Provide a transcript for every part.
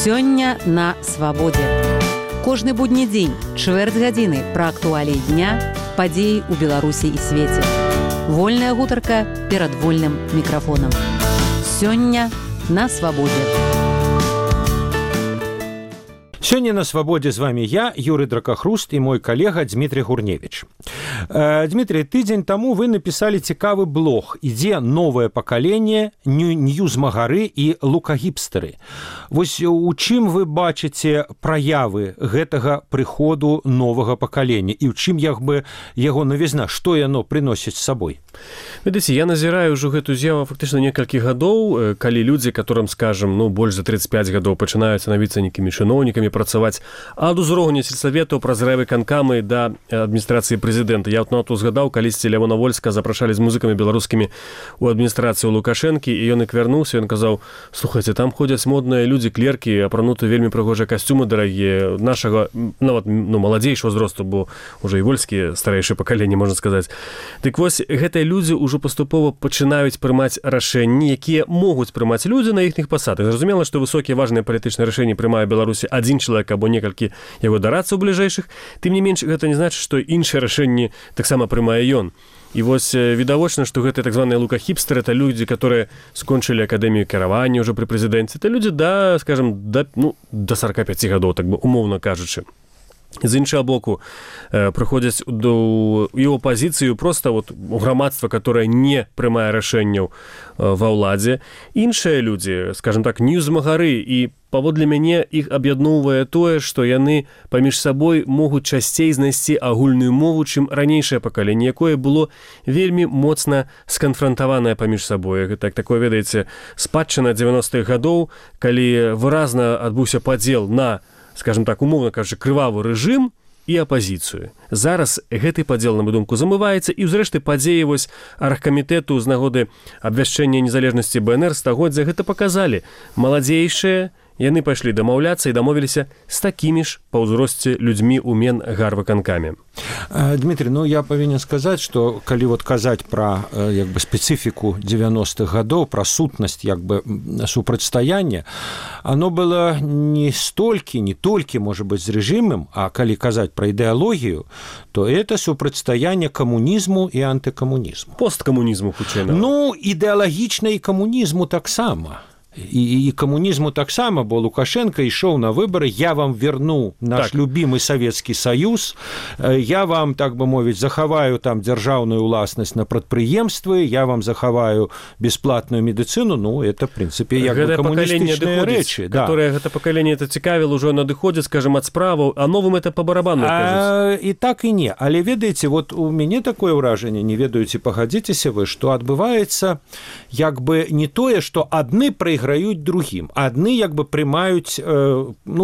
Сёння на свабодзе. Кожны будні дзень, чвэрць гадзіны пра актуаліі дня, падзеі ў Беларусі і свеце. Вольная гутарка перад вольным мікрафонам. Сёння на свабодзе. Сёння на свабодзе з вами я, Юрый Дракахруст, і мой калега Дмітрий Гурневіч. Дмітрий, тыдзень таму вы напісалі цікавы блог «Ідзе новае пакаленне, ньюзмагары і лукагіпстары». Вось у чым вы бачыце праявы гэтага прыходу новага пакалення і ў чым яго навізна, што яно прыносіць з сабой? Ведаеце, я назіраю ўжо гэту з'яву фактычна некалькі гадоў, калі людзі, которым, скажем, больш за 35 гадоў пачынаюць становіцца нейкімі чыноўнікамі, працаваць ад узроўня сельсаветаў праз райвыканкамы да адміністрацыі прэзідэнта. Я вот згадаў, калісьці Лявона Вольска запрашалі з музыкамі беларускімі ў адміністрацыю Лукашэнкі, і ён як вярнуўся, ён казаў: слухайце, там ходзяць модныя людзі, клеркі, апрануты вельмі прыгожыя касцюмы дарагія, нашага, нават маладзейшага ўзросту, бо ўжо і Вольскі старэйшае пакаленне, можна сказаць. Дык вось, гэтыя людзі ўжо паступова пачынаюць прымаць рашэнні, якія могуць прымаць людзі на іхніх пасадах. Зразумела, што высокія важныя палітычныя рашэнні прымае Беларусі адзін чалавек або некалькі яго дарадцаў бліжэйшых. Тым не менш, гэта не значыць, што іншыя рашэнні таксама прымае ён. І вось відавочна, што гэтыя так званыя лукахіпстары — это людзі, которые скончылі акадэмію кіравання ўжо пры прэзідэнце. Это людзі да 45 гадоў, так бы умоўна кажучы. З іншага боку, прыходзяць у апазіцыю проста у грамадства, которое не прымае рашэнняў ва ўладзе. Іншыя людзі, скажем так, ньюзмагары, і паводле мяне іх аб'ядноўвае тое, што яны паміж сабой могуць часцей знайсці агульную мову, чым ранейшае пакаленне, якое было вельмі моцна сканфрантаванае паміж сабой. Гэта такое, ведаеце, спадчына 90-х гадоў, калі выразна адбыўся падзел на, скажем так, умоўна кажучы, крывавы рэжым і апазіцыю. Зараз гэты падзел, на маю думку, замываецца, і зрэшты падзеі вось аргкамітэту з нагоды абвяшчэння незалежнасці БНР стагоддзя гэта паказалі. Маладзейшыя, яны пайшлі дамаўляцца і дамовіліся з такімі ж па ўзросце людзьмі ў Менгарвыканкаме. Дмітрий, я павінен сказаць, што калі казаць пра спецыфіку 90-х гадоў, пра сутнасць супрацьстаяння, оно было не толькі, можа быць, з рэжымам, а калі казаць пра ідэалогію, то это супрацьстаянне камунізму і антыкамунізму. Посткамунізму, хутчэй. Ідэалагічна і камунізму таксама. І камунізму таксама, бо Лукашенко ішоў на выборы: я вам верну наш любимый Советский Союз, я вам, так бы мовіць, захаваю там дзяржаўную ўласнасць на прадпрыемствы, я вам захаваю бесплатную медыцыну. Это, в прынцыпе, камуністычныя рэчы. Гэта пакаленне цікавіла, ўжо надыходзіць, скажем, ад справаў, а новым это па барабану кажуць. І так і не. Але ведаеце, у мяне такое ўражанне, не ведаю, ці пагадзіцеся вы, што адбываецца не тое, што адны прайграюць другім, адны прымаюць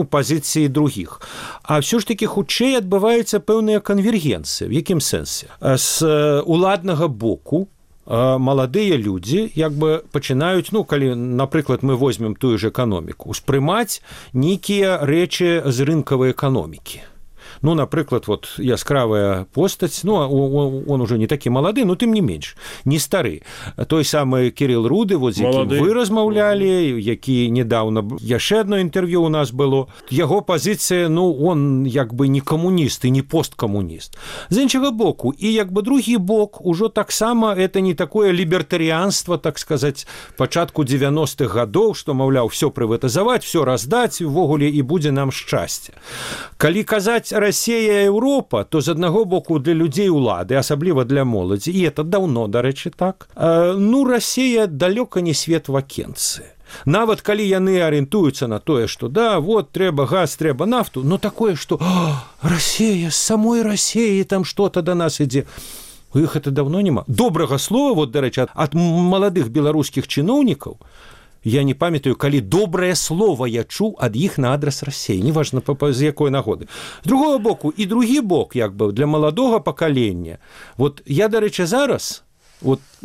пазіцыі другіх. А ўсё ж такі хутчэй адбываюцца пэўныя канвергенцыі. В якім сэнсе? З уладнага боку маладыя людзі пачынаюць, калі, напрыклад, мы возьмем тую ж эканоміку, успрымаць нейкія рэчы з рынкавай эканомікі. Напрыклад, яскравая постаць, он уже не такі малады, но тым не менш, не стары. Той самы Кірыл Руды, з якім вы размаўлялі, які недавно яшчэ одно інтэрв'ю у нас было. Яго пазіцыя, он не камуніст і не посткамуніст. З іншага боку, і другі бок, ужо таксама это не такое лібертарыянства, так сказаць, пачатку 90-х гадоў, што, маўляў, все прыватызаваць, все раздаць, увогуле і будзе нам шчасце. Калі казаць Россия и Европа, то з аднаго боку для людзей улады, асабліва для моладзі, і это даўно, дарэчы, так. Россия далёка не свет вакенцыі. Нават калі яны арыентуюцца на тое, што трэба газ, трэба нафту, такое, што Россия, з самой Россией там што-то да нас ідзе. У іх это даўно няма. Добрага слова, дарэчы, ад маладых беларускіх чыноўнікаў, я не памятаю, калі добрае слово я чуў ад іх на адрас России, неважна з якой нагоды. З другого боку, і другі бок, для маладога пакалення. Я, дарэчы, зараз,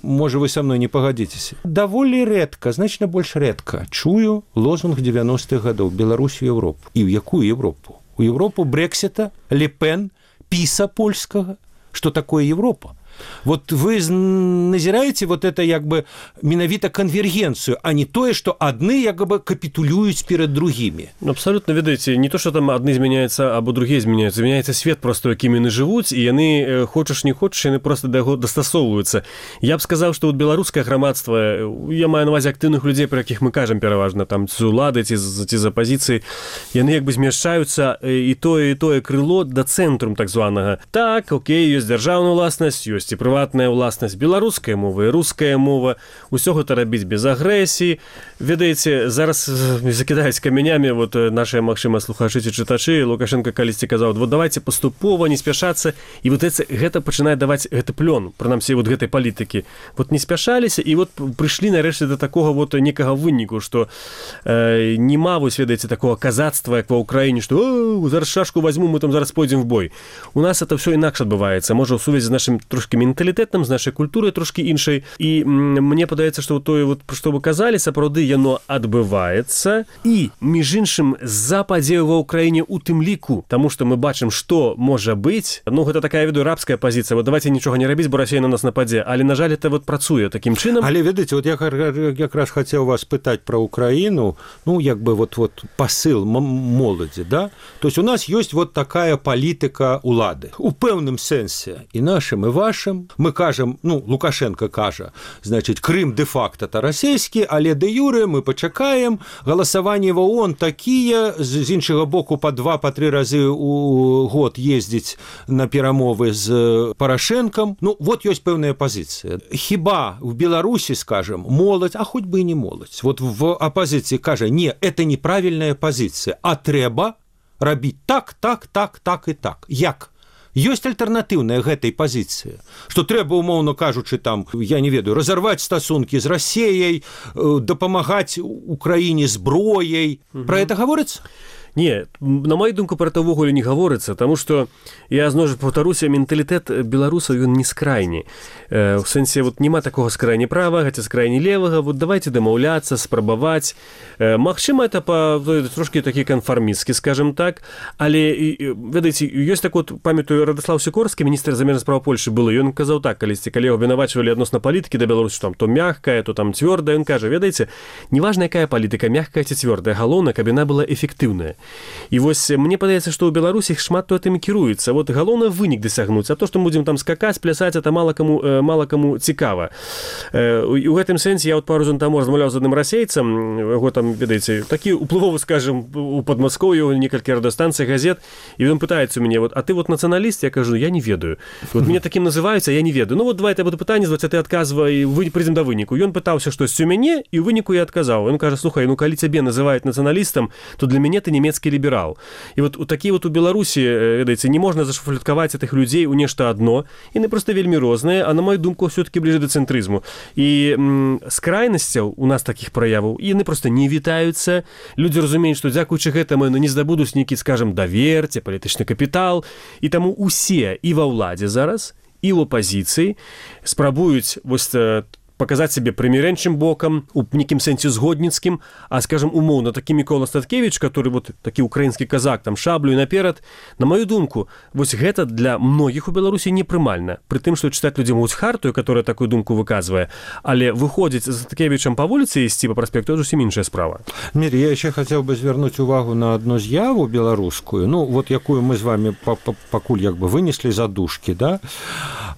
можа, вы са мной не пагадзіцеся, даволі рэдка, значна больш рэдка чую лозунг 90-х гадоў: Беларусь у Европу. І ў якую Европу? У Европу Брэксіта, Ле Пен, Піса польскага. Што такое Европа? Вот вы назираете вот это як бы менавіта конвергенцию, а не тое, что адны як бы капітулююць перед другими. Абсолютно, ведаеце, не то, что там адны змяняются, або другие змяняются. Змяняется свет просто, якім яны жывуць, і яны, хочаш не хочаш, яны просто да яго дастасоўваюцца. Я б сказаў, што вот беларускае грамадства, я маю на увазе актыўных людзей, про якіх мы кажам пераважна, там, з улады ці з апазіцыі, яны як бы змяшчаюцца і тое крыло да цэнтрум так званага. Так, окей, ёсць дзяржаўная ўласнасць, ёсць і прыватная ўласнасць, беларуская мова і руская мова, усё гэта рабіць без агрэсіі. Ведаеце, зараз закідаюць камянямі вот нашыя, магчыма, слухачы ці чытачы. Лукашенко калісьці казаў, вот давайте паступова, не спяшацца, і вот гэта пачынае даваць гэты плён, прынамсі вот гэтай палітыкі. Вот не спяшаліся, і вот прыйшлі нарэшце да такога вот некага выніку, што нема, вось, ведаеце, такого казацтва, як ва Ўкраіне, што зараз шашку возьму, мы там зараз пойдзем в бой. У нас это все інакш адбываецца, можа, ў сувязі з нашым трошкі менталітэтам, з нашай культурай трошкі іншай. І мне падаецца, што тое, вот, што вы казалі, сапраўды яно адбываецца. І, між іншым, з-за падзеяў ва Ўкраіне у тым ліку, таму што мы бачым, што можа быць. Ну, гэта такая, веду, рабская пазіцыя. Вот давайте нічога не рабіць, бо Расія на нас нападзе. Але, на жаль, это вот працуе такім чынам. Але, ведаеце, вот я якраз хацеў вас пытаць пра Украіну, ну, як бы вот посыл моладзі, да? То есть у нас ёсць вот такая палітыка улады. У пэўным сэнсе і нашым, і вашым. Мы кажам, ну, Лукашенко кажа, значит, Крым де-факто то расійскі, але де-юре мы пачакаем, галасаванні ва ООН такія, з іншага боку па 2-3 разы у год ездзіць на перамовы з Парашэнкам. Ну, вот ёсць пэўная пазіцыя. Хіба в Беларусі, скажем, моладзь, а хоць бы і не моладзь, вот в апозіцыі кажа, не, это неправільная пазіцыя, а трэба рабіць так і так. Як? Ёсць альтэрнатыўная гэтай пазіцыі, што трэба, умоўна кажучы, там, я не ведаю, разарваць стасункі з Расіяй, дапамагаць Украіне зброяй. Пра гэта гаворыцца? Не, на мою думку, про это ўвогуле не гаворыцца, таму што я зноў паўтаруся, менталітэт беларусаў ён не скрайні. У сэнсе вот няма такога скрайні права, хаця скрайні левага, вот давайте дамаўляцца, спрабаваць. Магчыма, это трошкі такі канфармісцкі, скажем так, але ведаеце, ёсць так вот, памятаю, Радослав Сікорскі, міністр замежных справ Польшы было, ён казаў так, калісьці, калі яго абвінавачвалі адносна палітыкі да Беларусі, там то мягкая, то там цвёрдая, ён кажа, ведаеце, неважна якая палітыка, мягкая ці цвёрдая, галоўна, каб яна была эфектыўная. І вось мне падаецца, што ў Беларусі шмат то гэтым кіруецца. Вот галоўна вынік дасягнуць, а то, што мы будзем там скакаць, плясаць, это мала каму цікава. У гэтым сэнсе я вот пару зон таму размаўляў з адным расейцам, яго там, ведаеце, такі уплывовы, скажем, у Падмаскоўі, некалькі радыёстанцый, газет, і ён пытаецца у мяне, вот, а ты вот нацыяналіст? Я кажу, я не ведаю. Вот мяне такім называюць, а я не ведаю. Ну вот давай я буду пытанне задаваць, а ты адказвай, прыйдзем да выніку. Ён пытаўся штосьці у мяне, і ў выніку я адказаў. Ён кажа, слухай, ну калі цябе называюць нацыяналістам, то для мяне ты нямецкі ліберал. І вот такі вот у Беларусі, ведаеце, не можна зашафлюткаваць гэтых людзей у нешта адно, яны проста вельмі розныя, а на мою думку, все-таки бліжэй да цэнтрызму. І з крайнасцяў у нас такіх праяваў, яны проста не вітаюцца. Людзі разумеюць, што дзякуючы гэтаму яны не здабудуць нейкі, скажем, давер, ці палітычны капітал, і таму усе і ва ўладзе зараз, і ў апазіцыі спрабуюць вось показаць сябе прымірэнчым бокам, у нейкім сэнсе згодніцкім, а, скажем, умоўна, такі Мікола Статкевіч, который вот такі украінскі казак, там шаблю наперад, на мою думку, вось гэта для многіх у Беларусі непрымальна. Пры тым, што чытаць людзі могуць хартую, которая такую думку выказвае, але выходзіць з Статкевічам па вуліцы ісці па праспекту, это зусім іншая справа. Мір, я яшчэ хацеў бы звярнуць увагу на адну з'яву беларускую, ну, вот якую мы з вами пакуль як бы вынеслі задушкі, да?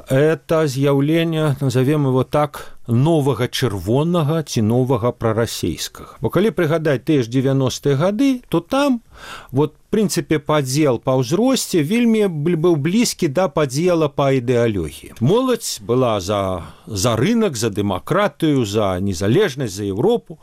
Это з'яўленне, назовем его так, новага чырвонага ці новага прарасейскага. Бо калі прыгадаць тыя ж 90-е гады, то там вот, в прынцыпе, падзел па ўзросце вельмі быў блізкі да падзела па ідэалогіі. Моладзь была за рынок, за дэмакратыю, за незалежнасць, за Европу,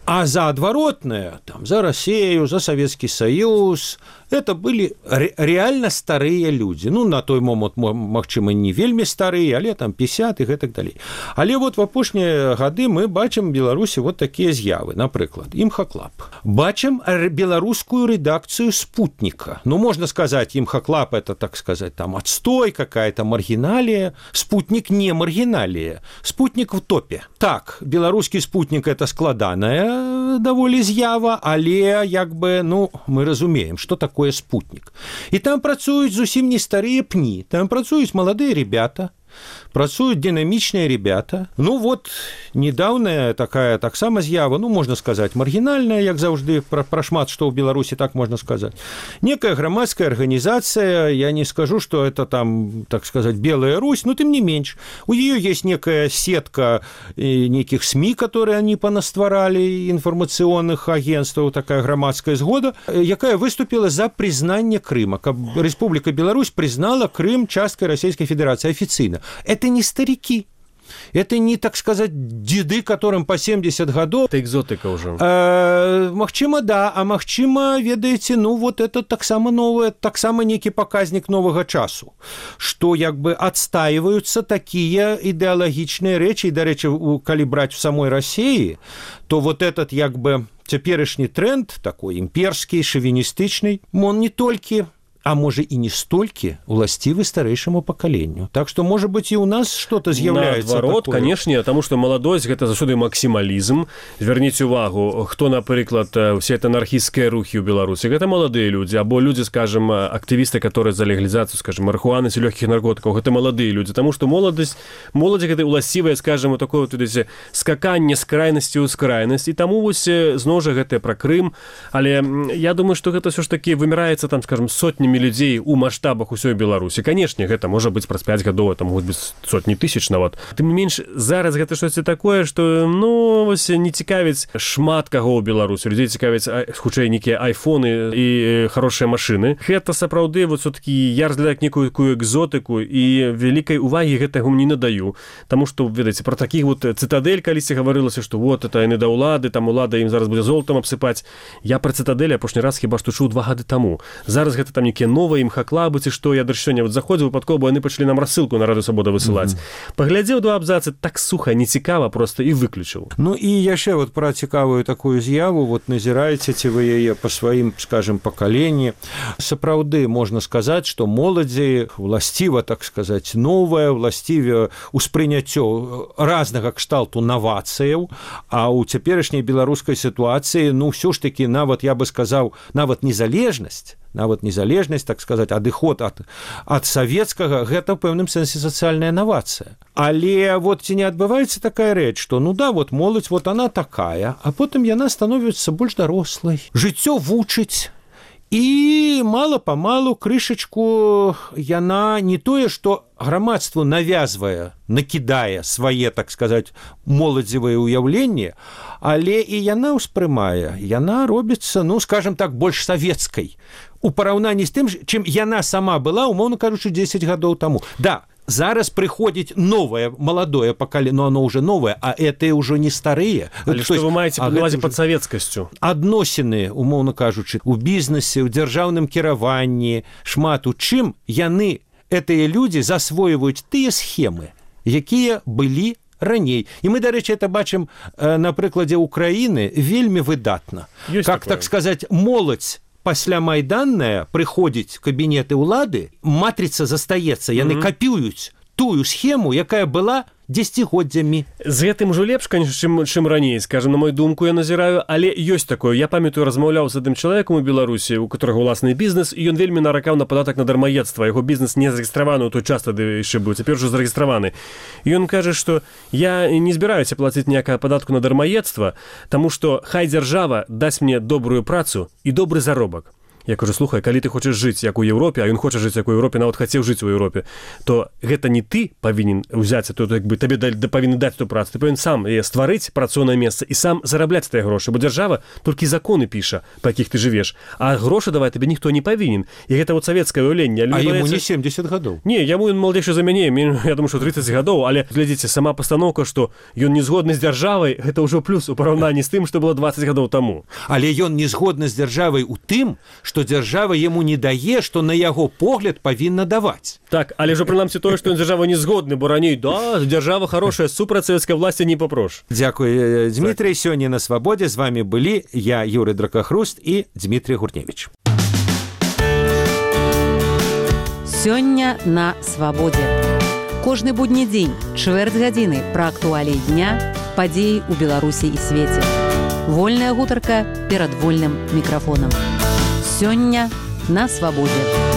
а за адваротнае, там, за Расію, за Савецкі Саюз, это былі реально старыя людзі. Ну, на той момант, магчыма, не вельмі старыя, але там 50 і гэтак далей. Але вот в апошнія гады мы бачым у Беларусі вот такія з'явы. Напрыклад, імхаклаб. Бачым беларускую редакцию «Спутника». Ну, можно сказать, имхоклаб – это, так сказать, там отстой, какая-то маргиналия. «Спутник» не маргиналия. «Спутник» в топе. Так, белорусский «Спутник» – это складаная даволі з'ява, але, як бы, ну, мы разумеем, что такое «Спутник». И там працуюць зусім не старые пні. Там працуюць маладыя ребята, працуют динамичные ребята. Ну вот, недавняя такая таксама з'ява, ну, можно сказать, маргинальная, як заўжды, про шмат што ў Беларусі, так можно сказать. Некая громадская организация, я не скажу, что это там, так сказать, Белая Русь, но тем не меньше. У нее есть некая сетка неких СМИ, которые они понастворали, информационных агентств, такая громадская згода, якая выступила за признание Крыма. Республика Беларусь признала Крым часткой Российской Федерации официально. Это не старики. Это не, так сказать, деды, которым по 70 годов. Это экзотика уже. Магчыма, да, а магчыма, ведаеце, ну вот это таксама новое, таксама некі показник нового часу, что як бы отстаиваются такие идеологичные речи, и, до речи, коли брать в самой России, то вот этот як бы теперешний тренд, такой имперский, шовинистичный, он не только... а може і не столькі уласцівы старэйшаму пакаленню. Так што, можа быць, і ў нас што-то з'яўляецца наадварот, такое. канешне, таму што маладосць гэта заўсёды максімалізм. Звярніце увагу, хто, напрыклад, все это анархісцкія рухі ў Беларусі, гэта маладыя людзі, або людзі, скажем, актывісты, которые за легалізацыю, скажем, марихуаны ці лёгкіх наркотыкаў, гэта маладыя людзі, таму што моладзі гэта уласцівае, скажем, такое вот скаканне з крайнасці ў скрайнасць, і таму вось зноў жа гэта пра Крым, але я думаю, што гэта ўсё ж такі выміраецца там, скажем, сотнямі людзей у маштабах усёй Беларусі. Канешне, гэта можа быць праз 5 гадоў, это могуць быць сотні тысяч нават. Тым не менш, зараз гэта штосьці такое, што, ну, вось не цікавіць шмат каго ў Беларусі. Людзей цікавіць, хутчэй, нейкія айфоны і хорошыя машыны. Гэта сапраўды, вот, все-таки я разглядаю некую экзотыку, і вялікай увагі гэтага не надаю. Таму што, ведаеце, пра такіх вот цытадель калісьці гаварылася, што вот, это яны да ўлады, там улада ім зараз будзе золотам абсыпаць. Я пра цытадель апошні раз хіба што чуў 2 гады таму. Зараз гэта там некія новыя імхаклабы, ці што, я да сёння вот заходзіў выпадкова, бо яны пачалі нам рассылку на Радыё Свабода высылаць. Паглядзеў 2 абзацы, так суха, нецікава просто і выключыў. Ну і яшчэ вот пра цікавую такую з'яву, вот назіраеце ці вы яе па сваім, скажем, пакаленні. Сапраўды можна сказаць, што моладзі уласціва, так сказаць, новае, уласціве ўспрыняццё разнага кшталту навацыяў, а ў цяперашняй беларускай сітуацыі, ну ўсё ж такі нават, я бы сказаў, нават незалежнасць, так сказать, адыход ад савецкага, гэта ў пэўным сэнсе сацыяльная навацыя. Але вот ці не адбываецца такая рэч, што, ну да, вот моладзь, вот она такая, а потым яна становіцца больш дарослай. Жыццё вучыць, і мала-памалу крышачку яна не тое, што грамадству навязвае, накідае свае, так сказать, моладзевыя ўяўленні, але і яна ўспрымае, яна робіцца, ну, скажем так, больш савецкай у параўнанні з тым, чым яна сама была, умоўна кажучы, 10 гадоў таму. Да, зараз прыходзіць новае, маладое пакаленне, но оно уже новое, а это уже не старые. Але што вы маеце пад увазе пад савецкасцю? Адносіны, умоўна кажучы, у бізнесе, у дзяржаўным кіраванні, шмат у чым яны, гэтыя людзі, засвойваюць тыя схемы, якія былі раней. І мы, дарэчы, это бачым на прыкладзе Украіны вельмі выдатна. Как, так сказать, моладзь пасля майданная прыходзіць кабінеты ўлады, матрыца застаецца, яны капіюць тую схему, якая была дзесяцігоддзямі. З гэтым ужо лепш, конечно, чым раней, скажем, на мою думку, я назіраю, але ёсць такое. Я памятаю, размаўляў з адным чалавекам у Беларусі, у которого уласны бізнес, і ён вельмі наракаў на падатак на дармаедства. Яго бізнес не зарэгістраваны ў той час, тады яшчэ быў, цяпер ужо зарэгістраваны. І ён кажа, што я не збіраюся плаціць ніякага падатку на дармаедства, таму што хай дзяржава дасць мне добрую працу і добры заробак. Я кажу, слухай, калі ты хочаш жыць як у Еўропе, а ён хоча жыць як у Еўропе, нават хацеў жыць у Еўропе, то гэта не ты павінен узяць, то як бы табе павінны даць ту працу, ты павінен сам стварыць працоўнае месца і сам зарабляць тыя грошы, бо дзяржава толькі законы піша, па якіх ты жывеш, а грошы даваць табе ніхто не павінен. І гэта вот савецкае ўяўленне. А яму не 70 гадоў. Не, яму ён маладзейшы за мяне, я думаю, што 30 гадоў, але глядзіце, сама пастаноўка, што ён не згодны з дзяржавай, гэта ўжо плюс у параўнанні з тым, што было 20 гадоў таму. Але ён не згодны з дзяржавай у тым, што дзяржава яму не дае, што на яго погляд павінна даваць. Так, але ж прынамсі тое, што ён дзяржава не згодны, бо раней, да, дзяржава хорошая, супраць савецкай власці не папрош. Дзякуй, Дмітрый. Сёння на Свабодзе з вами былі я, Юрый Дракахруст і Дмітрий Гурневіч. Сёння на Свабодзе. Кожны будні дзень, чвэрць гадзіны пра актуаліі дня, падзеі ў Беларусі і свеце. Вольная гутарка перад вольным мікрафонам. Сёння на Свабодзе.